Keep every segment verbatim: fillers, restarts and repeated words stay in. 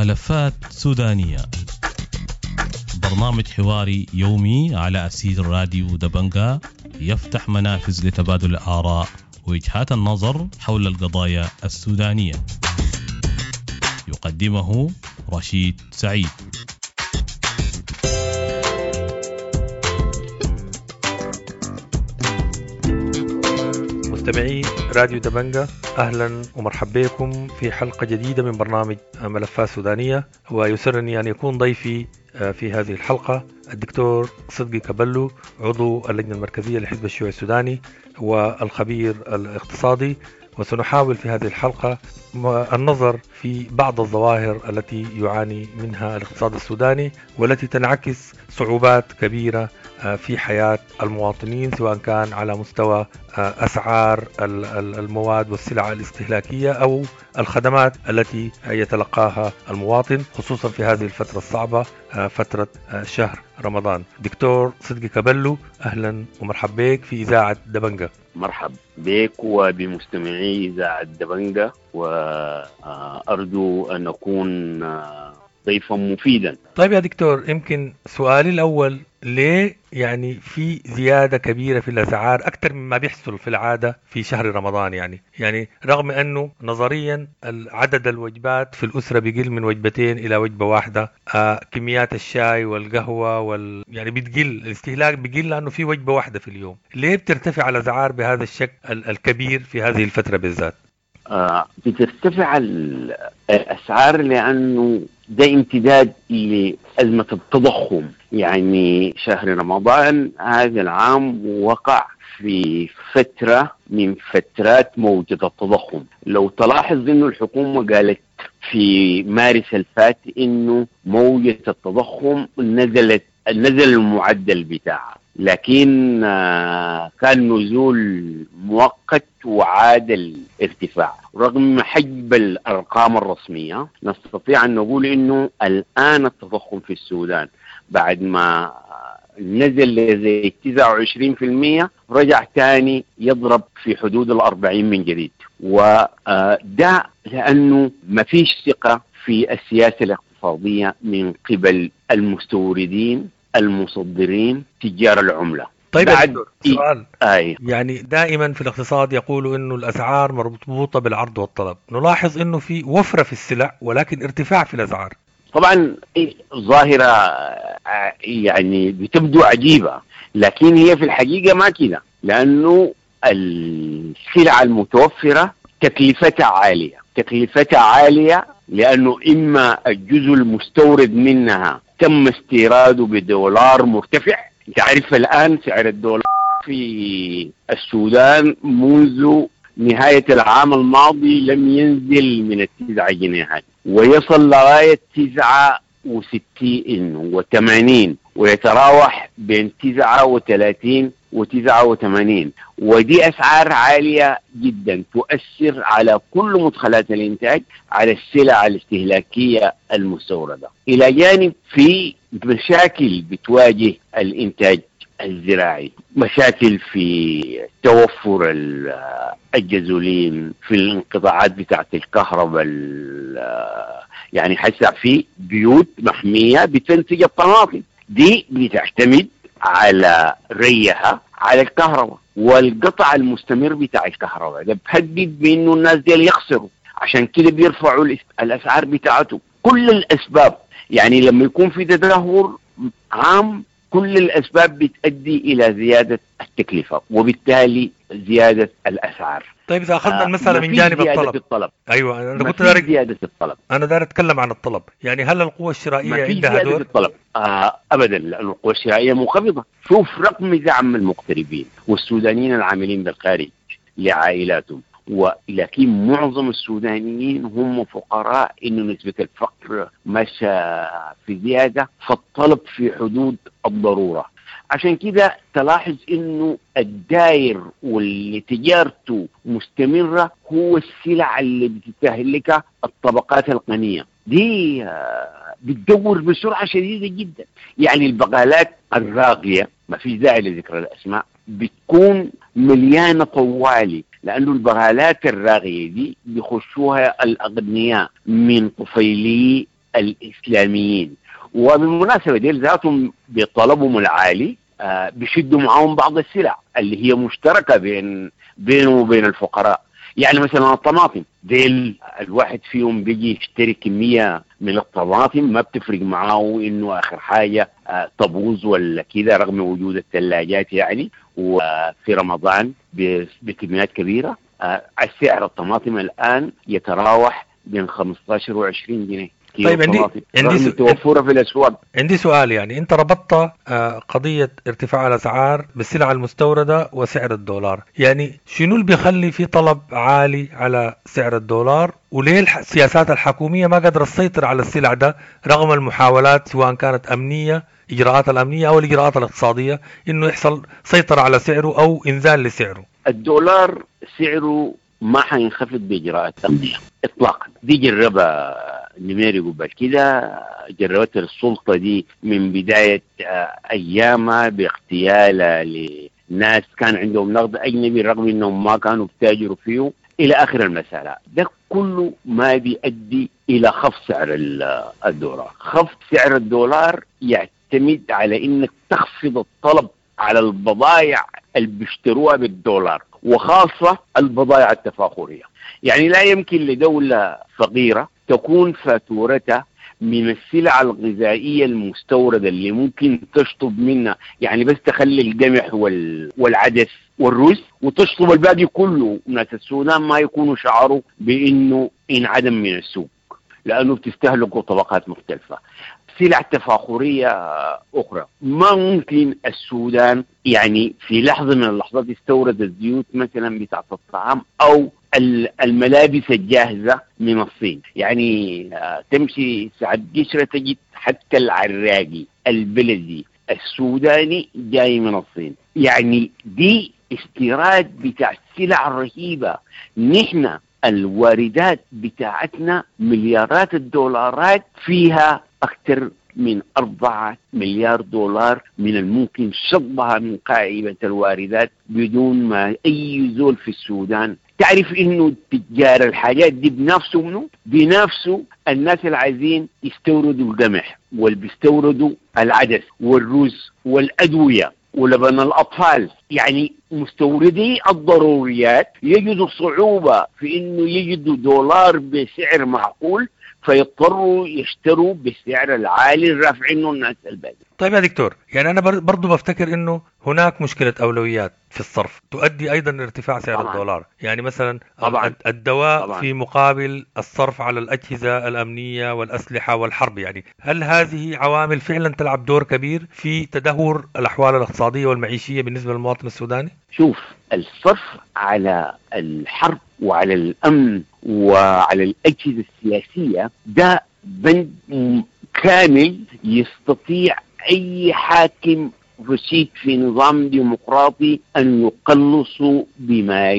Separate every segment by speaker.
Speaker 1: ملفات سودانية، برنامج حواري يومي على أثير راديو دبنجا، يفتح منافذ لتبادل الآراء ووجهات النظر حول القضايا السودانية. يقدمه رشيد سعيد.
Speaker 2: مستمعي راديو دبنجا، أهلا ومرحبا بكم في حلقة جديدة من برنامج ملفات سودانية، ويسرني أن يكون ضيفي في هذه الحلقة الدكتور صدقي كبلو، عضو اللجنة المركزية لحزب الشيوعي السوداني والخبير الاقتصادي. وسنحاول في هذه الحلقة النظر في بعض الظواهر التي يعاني منها الاقتصاد السوداني والتي تنعكس صعوبات كبيرة في حياة المواطنين، سواء كان على مستوى أسعار المواد والسلع الاستهلاكية أو الخدمات التي يتلقاها المواطن، خصوصا في هذه الفترة الصعبة، فترة شهر رمضان. دكتور صدقي كبلو، أهلا ومرحبا بك في إذاعة دبنجة.
Speaker 3: مرحب بك وبمستمعي إذاعة دبنجة، وأرجو أن أكون ضيفا مفيدا.
Speaker 2: طيب يا دكتور، يمكن سؤالي الأول، ليه يعني في زيادة كبيرة في الأسعار أكثر مما بيحصل في العادة في شهر رمضان؟ يعني يعني رغم أنه نظريا عدد الوجبات في الأسرة بيقل من وجبتين إلى وجبة واحدة، آه كميات الشاي والقهوة وال يعني بتقل، الاستهلاك بيقل لأنه في وجبة واحدة في اليوم. ليه بترتفع الأسعار بهذا الشكل الكبير في هذه الفترة بالذات؟
Speaker 3: آه بترتفع الأسعار لأنه ده امتداد لأزمة التضخم. يعني شهر رمضان هذا العام وقع في فترة من فترات موجة التضخم. لو تلاحظ إنه الحكومة قالت في مارس الفات إنه موجة التضخم نزلت، نزل المعدل بتاعها، لكن كان نزول مؤقت وعاد الارتفاع. رغم حجب الأرقام الرسمية نستطيع أن نقول إنه الآن التضخم في السودان بعد ما نزل لزي تسعة وعشرين بالمئة رجع تاني يضرب في حدود الأربعين من جديد. وده لأنه ما فيش ثقة في السياسة الاقتصادية من قبل المستوردين، المصدرين، تجار العملة.
Speaker 2: طيب بعد سؤال، آي. يعني دائما في الاقتصاد يقولوا انه الاسعار مربوطة بالعرض والطلب، نلاحظ انه في وفرة في السلع ولكن ارتفاع في الاسعار.
Speaker 3: طبعا ظاهرة يعني بتبدو عجيبة، لكن هي في الحقيقة ما كده، لانه السلع المتوفرة تكلفتها عالية، تكلفتها عالية لانه اما الجزء المستورد منها تم استيراده بدولار مرتفع. تعرف الآن سعر الدولار في السودان منذ نهاية العام الماضي لم ينزل من التسعة جنيهات، ويصل لغاية تسعة وستين وثمانين، ويتراوح بين تسعة وثلاثين وتسعة وثمانين، ودي أسعار عالية جدا تؤثر على كل مدخلات الإنتاج، على السلع الاستهلاكية المستوردة. إلى جانب في مشاكل بتواجه الإنتاج الزراعي، مشاكل في توفر الجازولين، في الانقطاعات بتاعت الكهرباء. يعني حسع في بيوت محمية بتنتج الطماطم، دي بتعتمد على ريها على الكهرباء، والقطع المستمر بتاع الكهرباء ده بهدد بانه الناس دي يخسروا، عشان كده بيرفعوا الاسعار بتاعته. كل الاسباب يعني لما يكون في تدهور عام كل الاسباب بتؤدي الى زيادة التكلفة وبالتالي زيادة الاسعار.
Speaker 2: طيب اذا اخذنا المسالة من جانب الطلب.
Speaker 3: الطلب.
Speaker 2: ايوه انا كنت دارك
Speaker 3: زيادة الطلب،
Speaker 2: انا داير اتكلم عن الطلب. يعني هل القوة الشرائية عندها دور؟
Speaker 3: الطلب آه ابدا، لأن القوة الشرائية منخفضة. شوف رقم دعم المغتربين والسودانيين العاملين بالخارج لعائلاتهم، ولكن معظم السودانيين هم فقراء، إنه نسبة الفقر ماشية في زيادة، فالطلب في حدود الضرورة. عشان كده تلاحظ إنه الداير واللي تجارته مستمرة هو السلع اللي بتستهلكها الطبقات الغنية، دي بتدور بسرعة شديدة جدا. يعني البقالات الراقية، ما في داعي لذكر الأسماء، بتكون مليانة طوالي، لأنه البغالات الراغية دي بيخشوها الأغنياء من طفيلي الإسلاميين. وبالمناسبة ديل ذاتهم بطلبهم العالي آه بيشدوا معاهم بعض السلع اللي هي مشتركة بين بينه وبين الفقراء. يعني مثلا الطماطم، ديل الواحد فيهم بيجي يشتري كمية من الطماطم ما بتفرق معاه إنه آخر حاجة آه تبوظ ولا كده، رغم وجود الثلاجات يعني، وفي رمضان بكميات كبيرة. آه السعر الطماطم الآن يتراوح بين خمستاشر وعشرين جنيه.
Speaker 2: طيب عندي عندي
Speaker 3: سؤال توفره في الاسواق.
Speaker 2: عندي سؤال، يعني انت ربطت قضية ارتفاع الاسعار بالسلع المستورده وسعر الدولار، يعني شنو اللي بيخلي في طلب عالي على سعر الدولار، وليه السياسات الحكومية ما قادرة تسيطر على السلع ده رغم المحاولات سواء كانت امنية، اجراءات الامنية او الاجراءات الاقتصادية، انه يحصل سيطرة على سعره او انزال لسعره؟
Speaker 3: الدولار سعره ما حينخفض باجراءات امنية اطلاقا، دي جربها نميري قبل كده، جربت السلطة دي من بداية ايامها باغتيالها لناس كان عندهم نقد اجنبي رغم انهم ما كانوا بتاجروا فيه الى اخر المسالة. ده كله ما بيؤدي الى خفض سعر الدولار. خفض سعر الدولار يعتمد على انك تخفض الطلب على البضائع اللي بيشتروها بالدولار، وخاصة البضائع التفاخرية. يعني لا يمكن لدولة فقيرة تكون فاتورتها من السلع الغذائية المستوردة اللي ممكن تشطب منها، يعني بس تخلي القمح والعدس والرز وتشطب الباقي كله، ناس السودان ما يكونوا شعروا بأنه انعدم من السوق لأنه بتستهلكوا طبقات مختلفة. سلع تفاخرية أخرى ما ممكن السودان يعني في لحظة من اللحظات يستورد الزيوت مثلا بتاعت الطعام أو الملابس الجاهزة من الصين. يعني تمشي ساعة قشرة تجد حتى العراقي البلدي السوداني جاي من الصين. يعني دي استيراد بتاع سلع رهيبة. نحن الواردات بتاعتنا مليارات الدولارات، فيها أكثر من أربعة مليار دولار من الممكن شطبها من قائمة الواردات بدون ما أي زول في السودان. تعرف إنه تجار الحاجات دي بنفسه منه بنفسه الناس اللي عايزين يستوردوا القمح واللي بيستوردوا العدس والرز والأدوية ولبن الأطفال، يعني مستوردي الضروريات يجدوا صعوبة في إنه يجدوا دولار بسعر معقول، فيضطروا يشتروا بالسعر العالي الرافعينه الناس الباقي.
Speaker 2: طيب يا دكتور، يعني أنا برضو بفتكر إنه هناك مشكلة أولويات في الصرف تؤدي أيضا لارتفاع سعر طبعاً. الدولار، يعني مثلا طبعاً. الدواء طبعاً. في مقابل الصرف على الأجهزة الأمنية والأسلحة والحرب، يعني هل هذه عوامل فعلا تلعب دور كبير في تدهور الأحوال الاقتصادية والمعيشية بالنسبة للمواطن السوداني؟
Speaker 3: شوف، الصرف على الحرب وعلى الأمن وعلى الأجهزة السياسية ده بند كامل يستطيع أي حاكم رشيد في نظام ديمقراطي أن يقلصوا بما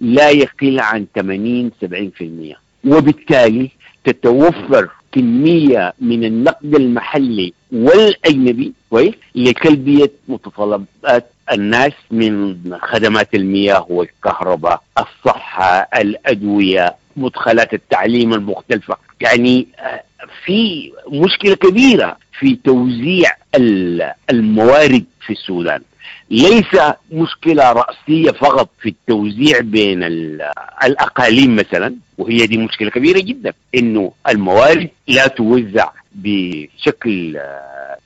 Speaker 3: لا يقل عن ثمانين سبعين بالمئة، وبالتالي تتوفر كمية من النقد المحلي والأجنبي كويس لتلبية متطلبات الناس من خدمات المياه والكهرباء، الصحة، الأدوية، مدخلات التعليم المختلفة. يعني في مشكلة كبيرة في توزيع الموارد في السودان، ليس مشكلة رأسية فقط في التوزيع بين الأقاليم مثلا، وهي دي مشكلة كبيرة جدا إنه الموارد لا توزع بشكل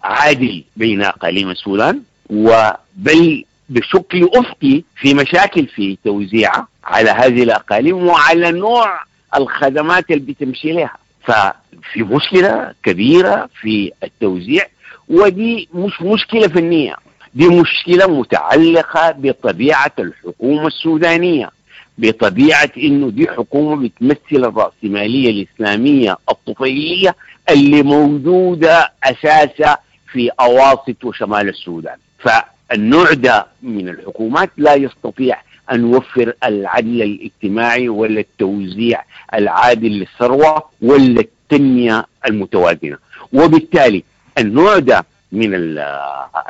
Speaker 3: عادل بين أقاليم السودان، وبل بشكل أفقي في مشاكل في توزيعها على هذه الأقاليم وعلى نوع الخدمات اللي بتمشي لها. ففي مشكلة كبيرة في التوزيع، ودي مش مشكلة فنية، دي مشكلة متعلقة بطبيعة الحكومة السودانية، بطبيعة إنه دي حكومة بتمثل الرأسمالية الإسلامية الطفيلية اللي موجودة أساسا في أواسط وشمال السودان. فالنوع ده من الحكومات لا يستطيع أن يوفر العدل الاجتماعي ولا التوزيع العادل للثروة ولا التنمية المتوازنة، وبالتالي النوع ده من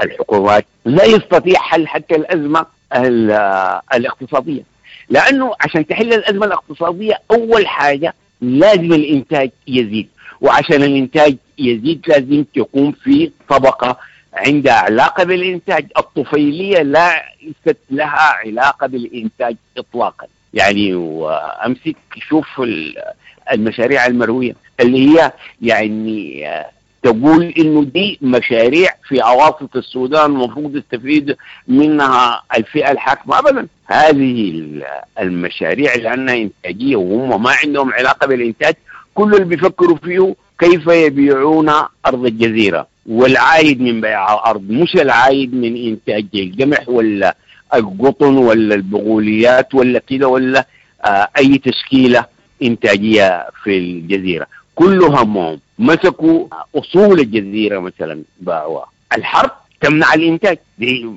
Speaker 3: الحكومات لا يستطيع حل حتى الأزمة الاقتصادية، لأنه عشان تحل الأزمة الاقتصادية أول حاجة لازم الإنتاج يزيد، وعشان الإنتاج يزيد لازم تكون في طبقة عندها علاقة بالإنتاج. الطفيلية ليست لها علاقة بالإنتاج إطلاقا. يعني وأمسك شوف المشاريع المروية اللي هي يعني تقول إنه دي مشاريع في أواسط السودان المفروض يستفيد منها الفئة الحاكمة. أبدا، هذه المشاريع لأنها إنتاجية وهم ما عندهم علاقة بالإنتاج، كل اللي بيفكروا فيه كيف يبيعون أرض الجزيرة، والعايد من بيع الأرض مش العايد من إنتاج القمح ولا القطن ولا البغوليات ولا كده ولا آه أي تشكيلة إنتاجية في الجزيرة. كل همهم مسكوا أصول الجزيرة مثلا باعوها. الحرب تمنع الإنتاج، دي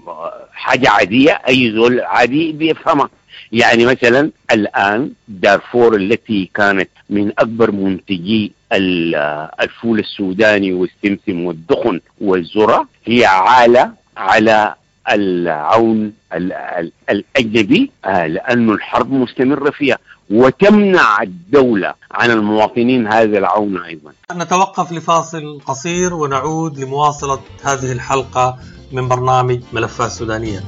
Speaker 3: حاجة عادية أي زول عادي بيفهمها. يعني مثلا الآن دارفور التي كانت من أكبر منتجي الفول السوداني والسمسم والدخن والذرة هي عالة على العون الأجنبي لأن الحرب مستمرة فيها، وتمنع الدولة عن المواطنين هذا العون أيضا.
Speaker 2: نتوقف لفاصل قصير ونعود لمواصلة هذه الحلقة من برنامج ملفات سودانية.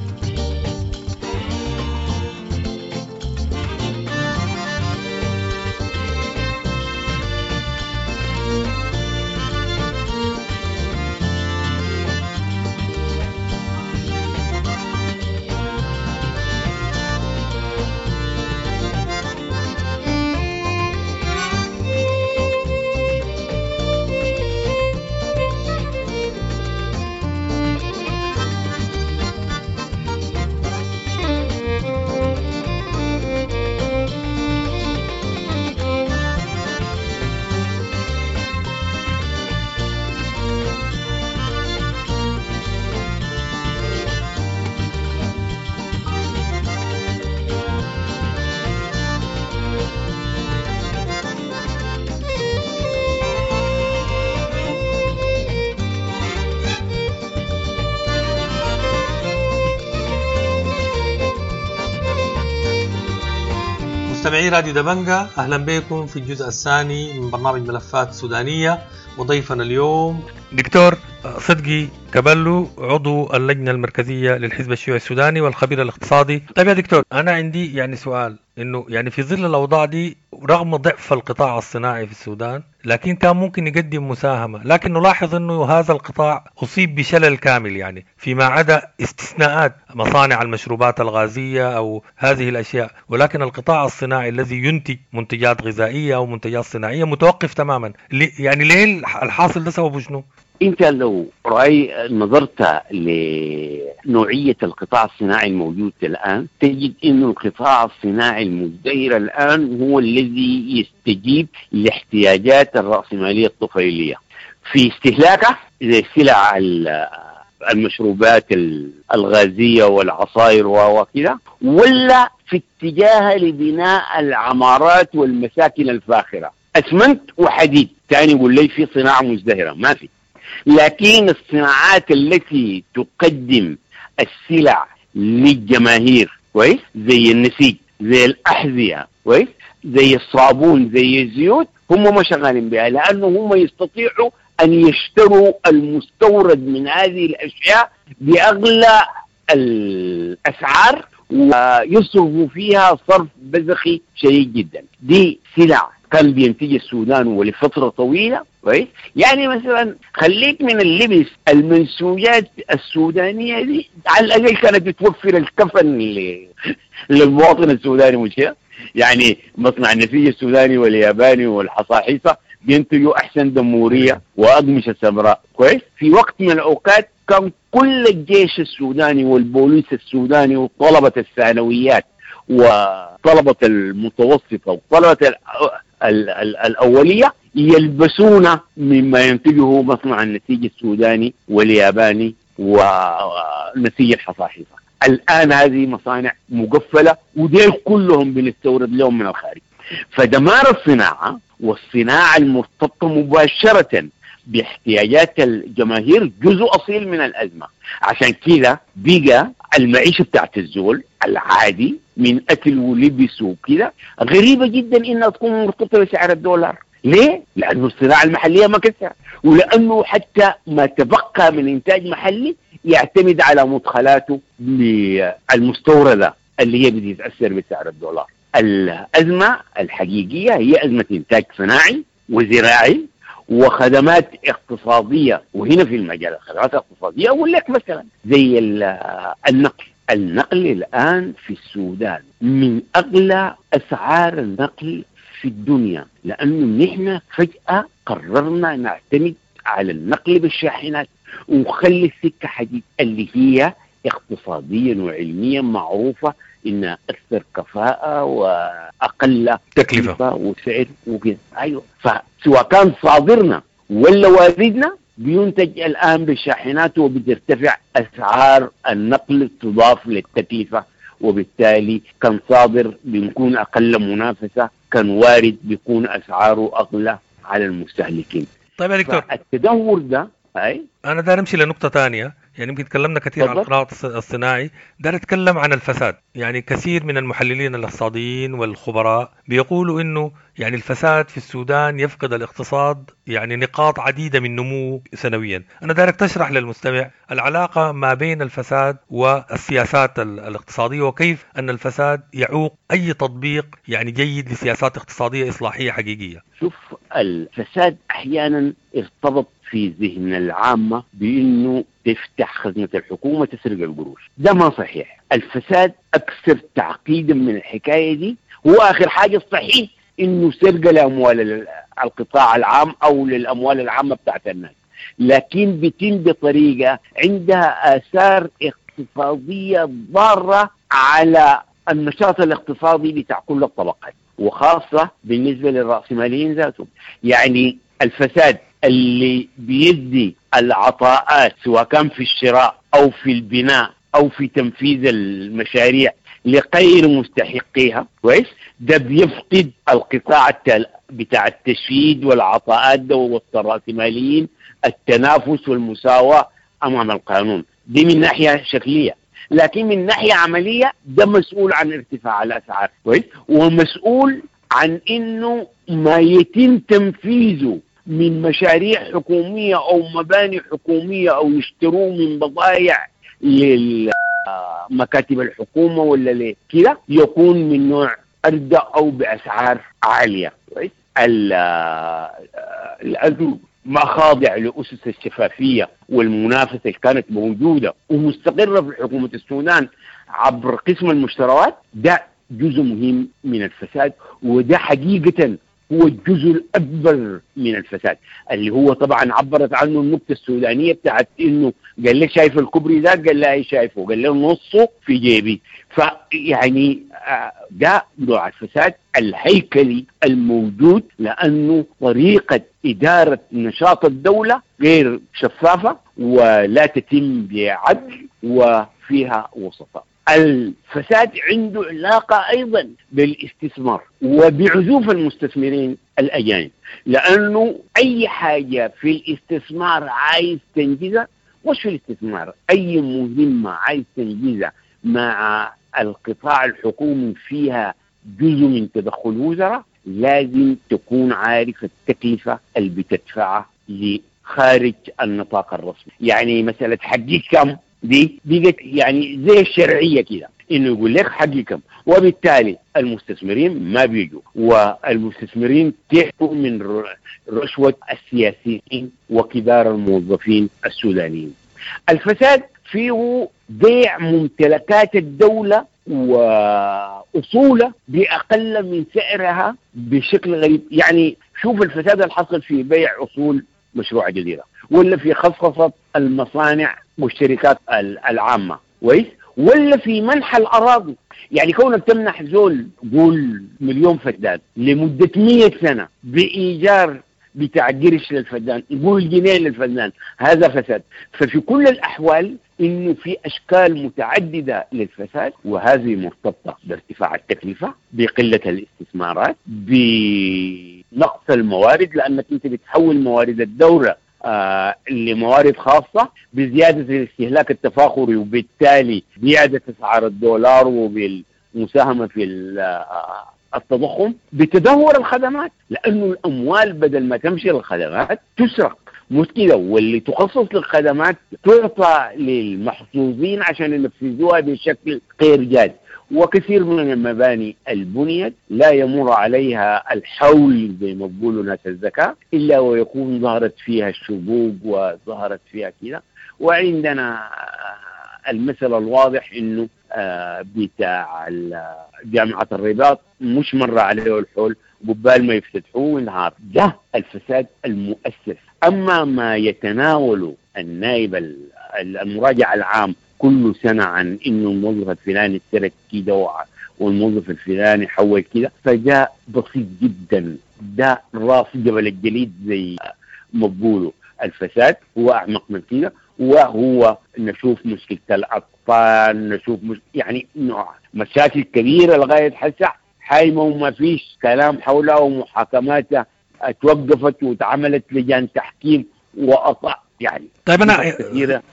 Speaker 2: مستمعي راديو دبنجة، أهلا بكم في الجزء الثاني من برنامج ملفات سودانية، وضيفنا اليوم دكتور صدقي كبلو، عضو اللجنة المركزية للحزب الشيوعي السوداني والخبير الاقتصادي. طيب يا دكتور، أنا عندي يعني سؤال، إنه يعني في ظل الأوضاع دي رغم ضعف القطاع الصناعي في السودان لكن كان ممكن يقدم مساهمة، لكن نلاحظ أنه هذا القطاع أصيب بشلل كامل، يعني فيما عدا استثناءات مصانع المشروبات الغازية أو هذه الأشياء، ولكن القطاع الصناعي الذي ينتج منتجات غذائية أو منتجات صناعية متوقف تماما. يعني ليه الحاصل ده سببه شنو؟
Speaker 3: انت لو رأي نظرت لنوعية القطاع الصناعي الموجود الآن تجد أن القطاع الصناعي المزدهر الآن هو الذي يستجيب لاحتياجات الرأسمالية الطفيلية في استهلاكه زي سلع المشروبات الغازية والعصائر وكذا، ولا في اتجاه لبناء العمارات والمساكن الفاخرة، أسمنت وحديد. تاني يقول لي في صناعة مزدهرة، ما في. لكن الصناعات التي تقدم السلع للجماهير، كويس، زي النسيج، زي الأحذية، كويس، زي الصابون، زي الزيوت، هم ما شغالين بها، لأنه هم يستطيعوا أن يشتروا المستورد من هذه الأشياء بأغلى الأسعار ويصرفوا فيها صرف بذخي شديد جدا. دي سلع كان بينتج السودان ولفترة طويلة، كويس. يعني مثلا خليك من اللبس، المنسوجات السودانية دي على الأقل كانت بتوفر الكفن للمواطن السوداني، مش كده؟ يعني مصنع النسيج السوداني والياباني والحصاحيصة بينتجوا أحسن دمورية وأقمشة سمراء، كويس. في وقت من الأوقات كان كل الجيش السوداني والبوليس السوداني وطلبة الثانويات وطلبة المتوسطة وطلبة ال ال ال الأولية يلبسون مما ينتجه مصنع النسيج السوداني والياباني ونسيج الحصاحيصة. الآن هذه مصانع مقفلة وديل كلهم بنستورد لهم من الخارج. فدمار الصناعة والصناعة المرتبطة مباشرة باحتياجات الجماهير جزء أصيل من الأزمة. عشان كده بقى المعيشة بتاعت الزول العادي من أكل ولبس وكده غريبة جدا إنها تكون مرتبطة بسعر الدولار. ليه؟ لأنه الصناعة المحلية ما كسرت، ولأنه حتى ما تبقى من إنتاج محلي يعتمد على مدخلاته المستوردة اللي هي بتتأثر بسعر الدولار. الأزمة الحقيقية هي أزمة إنتاج صناعي وزراعي وخدمات اقتصادية. وهنا في المجال الخدمات الاقتصادية أقول لك مثلا زي النقل. النقل الآن في السودان من أغلى أسعار النقل في الدنيا، لأنه نحن فجأة قررنا نعتمد على النقل بالشاحنات ونخلي السكة حديد اللي هي اقتصاديا وعلميا معروفة إنها أكثر كفاءة وأقل
Speaker 2: تكلفة
Speaker 3: وسعر وكذا. أيوة، فسواء كان صادرنا ولا واردنا بينتج الآن بالشاحنات، وبترتفع أسعار النقل تضاف للتكلفة، وبالتالي كان صادر بيكون أقل منافسة، كان وارد بيكون أسعاره أغلى على المستهلكين.
Speaker 2: طيب يا دكتور،
Speaker 3: التدهور ده أي؟
Speaker 2: أنا داير أمشي لنقطة ثانية. يعني يمكن تكلمنا كثير عن القطاع الصناعي، داير أتكلم عن الفساد. يعني كثير من المحللين الاقتصاديين والخبراء بيقولوا إنه يعني الفساد في السودان يفقد الاقتصاد يعني نقاط عديدة من نموه سنويا. أنا دايرك تشرح للمستمع العلاقة ما بين الفساد والسياسات الاقتصادية، وكيف أن الفساد يعوق أي تطبيق يعني جيد لسياسات اقتصادية إصلاحية حقيقية.
Speaker 3: شوف، الفساد أحيانا ارتبط في ذهن العامة بأنه تفتح خزنة الحكومة تسرق القروش. ده ما صحيح. الفساد أكثر تعقيدا من الحكاية دي. هو آخر حاجة الصحيح إنه سرقة لأموال القطاع العام أو للأموال العامة بتاعت الناس، لكن بتم بطريقة عندها آثار اقتصادية ضارة على النشاط الاقتصادي بتاع كل الطبقات، وخاصة بالنسبة للرأسماليين ذاتهم. يعني الفساد اللي بيدي العطاءات سواء كان في الشراء أو في البناء أو في تنفيذ المشاريع لغير مستحقيها، كويس، ده بيفقد القطاع بتاع التشييد والعطاءات ده والرأسماليين التنافس والمساواة أمام القانون. دي من ناحية شكلية، لكن من ناحية عملية ده مسؤول عن ارتفاع الأسعار، كويس، ومسؤول عن إنه ما يتم تنفيذه من مشاريع حكومية أو مباني حكومية أو يشتروه من بضائع للمكاتب الحكومة ولا ليه كده يكون من نوع أردأ أو بأسعار عالية. الأزمة ما خاضع لأسس الشفافية والمنافسة اللي كانت موجودة ومستقرة في حكومة السودان عبر قسم المشتريات، ده جزء مهم من الفساد، وده حقيقة هو الجزء الأكبر من الفساد اللي هو طبعا عبرت عنه النكتة السودانية بتاعت إنه قال لي شايف الكوبري ده؟ قال لا شايفه، قال له نصه في جيبي. فيعني ده نوع الفساد الهيكلي الموجود، لأنه طريقة إدارة نشاط الدولة غير شفافة ولا تتم بعدل وفيها وسطاء. الفساد عنده علاقة أيضا بالاستثمار وبعزوف المستثمرين الأجانب، لأنه أي حاجة في الاستثمار عايز تنجزها، مش في الاستثمار، أي مهمة عايز تنجزها مع القطاع الحكومي فيها جزء من تدخل وزراء، لازم تكون عارف التكلفة اللي بتدفعها لخارج النطاق الرسمي. يعني مسألة حقي كم دي بقت يعني زي الشرعية كده، إنه يقول لك حقي كم، وبالتالي المستثمرين ما بيجوا، والمستثمرين تعبوا من رشوة السياسيين وكبار الموظفين السودانيين. الفساد فيه بيع ممتلكات الدولة وأصولها بأقل من سعرها بشكل غريب. يعني شوف الفساد اللي حصل في بيع أصول مشروع جزيرة، ولا في خصخصة المصانع والشركات العامة، كويس، ولا في منح الأراضي. يعني كونك تمنح زول قول مليون فدان لمدة مية سنة بإيجار بتاع قرش للفدان، يقول جنيه للفدان، هذا فساد. ففي كل الأحوال إنه في أشكال متعددة للفساد، وهذه مرتبطة بارتفاع التكلفة، بقلة الاستثمارات، بنقص الموارد، لأنك أنت بتحول موارد الدولة آه لموارد خاصة، بزيادة الاستهلاك التفاخري، وبالتالي زيادة أسعار الدولار وبالمساهمة في التضخم؟ بتدهور الخدمات، لأنه الأموال بدل ما تمشي للخدمات تسرق، مش كده؟ واللي تخصص للخدمات تعطى للمحظوظين عشان ينفذوها بشكل غير جاد. وكثير من المباني البنيت لا يمر عليها الحول زي ما بيقولوا ناس الزكاة إلا ويكون ظهرت فيها الشقوق وظهرت فيها كده. وعندنا المثل الواضح إنه بتاع جامعة الرباط مش مر عليه الحول قبال ما يفتتحوه انهار. ده الفساد المؤسس. أما ما يتناوله النائب المراجع العام كل سنة عن إنه الموظف الفلاني ترك كده والموظف الفلاني حول كده، فجاء بسيط جدا. ده راس جبل الجليد زي ما بيقولوا. الفساد هو أعمق من كده، وهو نشوف مشكلة الأطفال، نشوف مش... يعني نوع مشاكل كبيرة لغاية حسع حايمة وما فيش كلام حولها، ومحاكماتها توقفت وتعملت لجان تحكيم وأطع يعني.
Speaker 2: طيب أنا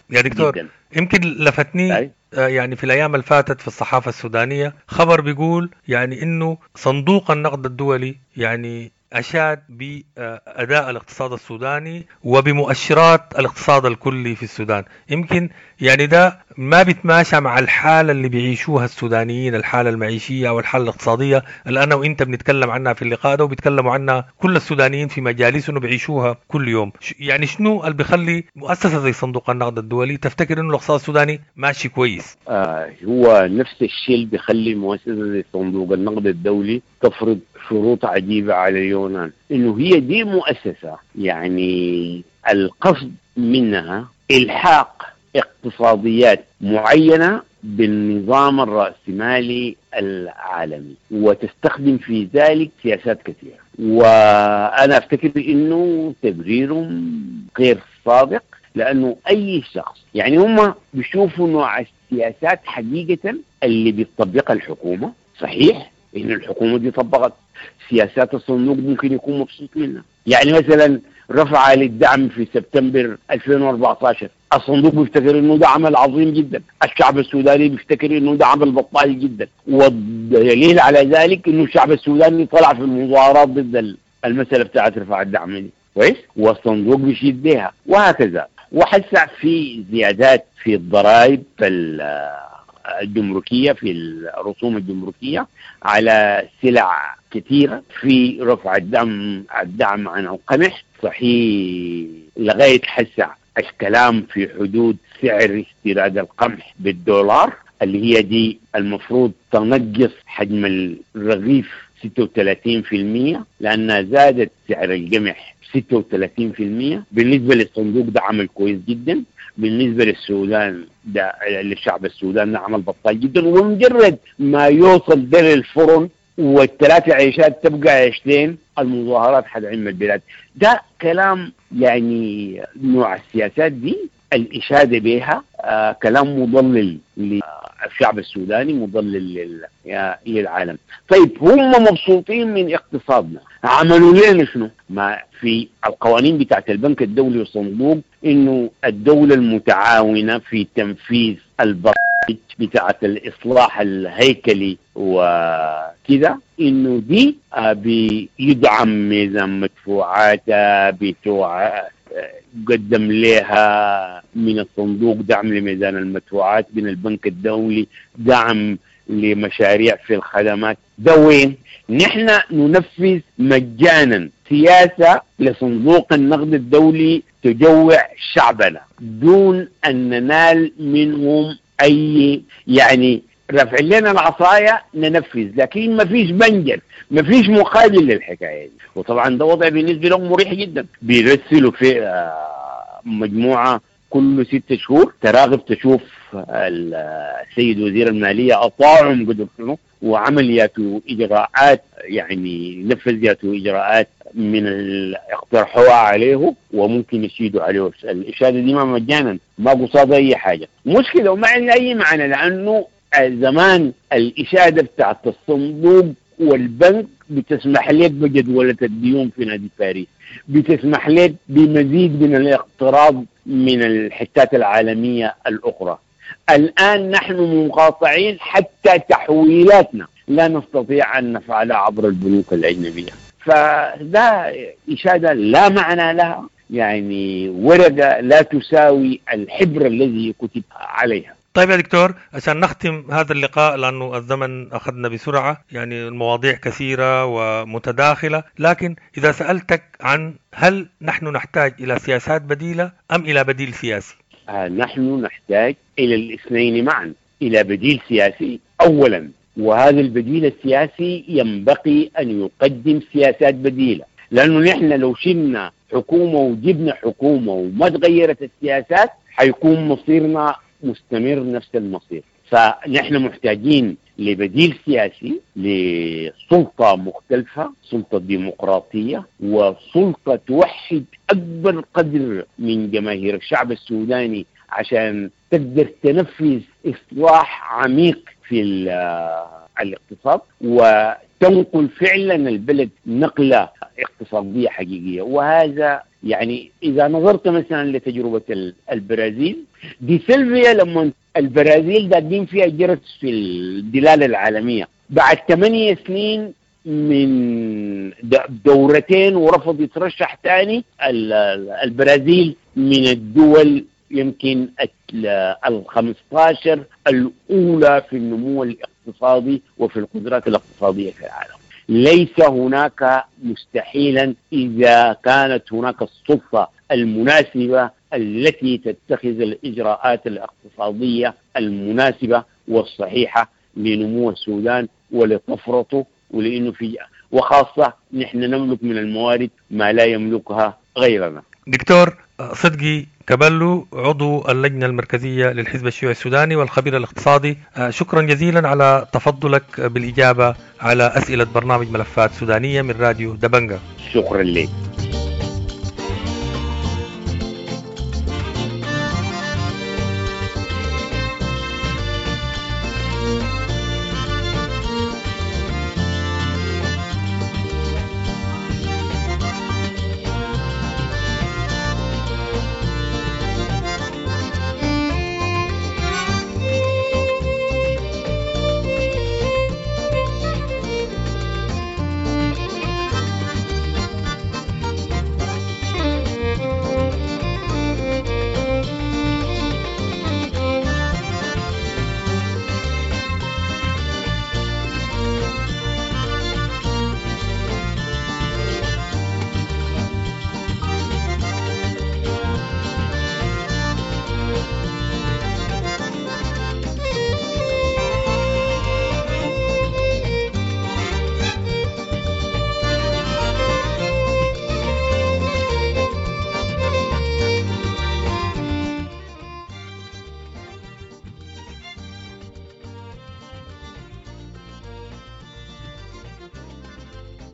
Speaker 2: يا دكتور جداً. يمكن لفتني أي؟ يعني في الأيام اللي فاتت في الصحافة السودانية خبر بيقول يعني إنه صندوق النقد الدولي يعني أشاد بأداء الاقتصاد السوداني وبمؤشرات الاقتصاد الكلي في السودان. يمكن يعني ده ما بيتماشى مع الحالة اللي بيعيشوها السودانيين، الحالة المعيشية والحالة الاقتصادية اللي أنا وإنت بنتكلم عنها في اللقاء ده، وبيتكلموا عنها كل السودانيين في مجالسهم وبيعيشوها كل يوم. يعني شنو اللي بيخلي مؤسسة زي صندوق النقد الدولي تفتكر إنه الاقتصاد السوداني ماشي كويس؟
Speaker 3: آه هو نفس الشيء اللي بيخلي مؤسسة زي صندوق النقد الدولي تفرض شروط عجيبة على اليونان، إنه هي دي مؤسسة يعني القصد منها إلحاق اقتصاديات معينة بالنظام الرأسمالي العالمي، وتستخدم في ذلك سياسات كثيرة. وأنا أفتكر إنه تبريرهم غير صادق، لأنه أي شخص يعني هم بيشوفوا نوع السياسات حقيقة اللي بتطبقها الحكومة. صحيح إن الحكومة دي طبقت سياسات الصندوق ممكن يكون مبسوط منها، يعني مثلا رفع للدعم في سبتمبر ألفين وأربعة عشر، الصندوق بيفتكر انه ده عمل عظيم جدا، الشعب السوداني بيفتكر انه ده عمل بطال جدا، والدليل على ذلك انه الشعب السوداني طلع في المظاهرات ضد المسألة بتاعت رفع الدعم دي، كويس، والصندوق بيشيد بها وهكذا. وحسع في زيادات في الضرائب الجمركية، في الرسوم الجمركية على سلع كثيرة، في رفع الدعم الدعم عن القمح. صحيح لغاية حسع الكلام في حدود سعر استيراد القمح بالدولار اللي هي دي المفروض تنقص حجم الرغيف ستة وثلاثين بالمئة، لأنها زادت سعر القمح ستة وثلاثين بالمئة. بالنسبة للصندوق ده عمل كويس جدا، بالنسبة للسودان ده للشعب السوداني ده عمل بطال جدا. ومجرد ما يوصل ده للفرن والثلاث عيشات تبقى عيشتين، المظاهرات حتعم البلاد. ده كلام يعني نوع السياسات دي الإشادة بها آه كلام مضلل للشعب السوداني، مضلل للعالم. طيب هم مبسوطين من اقتصادنا، عملوا لنا شنو؟ ما في القوانين بتاعت البنك الدولي والصندوق إنه الدولة المتعاونة في تنفيذ البرامج بتاعت الإصلاح الهيكلي وكذا، إنه دي بيدعم ميزان مدفوعاتها، بتوع قدم لها من الصندوق دعم لميزان المدفوعات، من البنك الدولي دعم لمشاريع في الخدمات. ده وين؟ نحن ننفذ مجانا سياسة لصندوق النقد الدولي تجوع شعبنا دون أن ننال منهم أي، يعني رفع لنا العصاية ننفذ، لكن ما فيش بنجر، ما فيش مقابل للحكاية دي. وطبعا ده وضع بالنسبة لهم مريح جدا. بيرسلوا في مجموعة كل ست شهور تراغب تشوف السيد وزير المالية أطاعهم قدر شنو وعمل ياتو إجراءات، يعني نفذ ياتو إجراءات من اللي اقترحوها عليه وممكن يشيدوا عليه. الإشادة دي ما مجانا، ما قصاد أي حاجة، مشكلة وما عندنا أي معنى، لأنه زمان الإشادة بتاعت الصندوق والبنك بتسمح لك بجدولة الديون في نادي باريس، بتسمح لك بمزيد من الاقتراض من الحتات العالمية الأخرى. الآن نحن مقاطعين حتى تحويلاتنا لا نستطيع أن نفعلها عبر البنوك الأجنبية. فده إشادة لا معنى لها، يعني ورقة لا تساوي الحبر الذي كتب عليها.
Speaker 2: طيب يا دكتور، عشان نختم هذا اللقاء لأنه الزمن أخذنا بسرعة، يعني المواضيع كثيرة ومتداخلة، لكن إذا سألتك عن هل نحن نحتاج إلى سياسات بديلة أم إلى بديل سياسي؟
Speaker 3: آه نحن نحتاج إلى الاثنين معا، إلى بديل سياسي أولا، وهذا البديل السياسي ينبغي أن يقدم سياسات بديلة، لأنه نحن لو شلنا حكومة وجبنا حكومة وما تغيرت السياسات حيكون مصيرنا مستمر نفس المصير. فنحن محتاجين لبديل سياسي، لسلطة مختلفة، سلطة ديمقراطية، وسلطة توحد أكبر قدر من جماهير الشعب السوداني عشان تقدر تنفذ إصلاح عميق في الاقتصاد وتنقل فعلا البلد نقلة اقتصادية حقيقية. وهذا يعني إذا نظرت مثلا لتجربة البرازيل دي سيلفيا، لما البرازيل داقين فيها جرس في الدلالة العالمية بعد ثمانية سنين من دورتين ورفض يترشح تاني، البرازيل من الدول يمكن الخمستاشر الأولى في النمو الاقتصادي وفي القدرات الاقتصادية في العالم. ليس هناك مستحيلا إذا كانت هناك السلطة المناسبة التي تتخذ الإجراءات الاقتصادية المناسبة والصحيحة لنمو السودان ولطفرته، ولأنه في وخاصة نحن نملك من الموارد ما لا يملكها غيرنا.
Speaker 2: دكتور صدقي كبلو، عضو اللجنة المركزية للحزب الشيوعي السوداني والخبير الاقتصادي، شكرا جزيلا على تفضلك بالإجابة على أسئلة برنامج ملفات سودانية من راديو دبنجة.
Speaker 3: شكرا لك.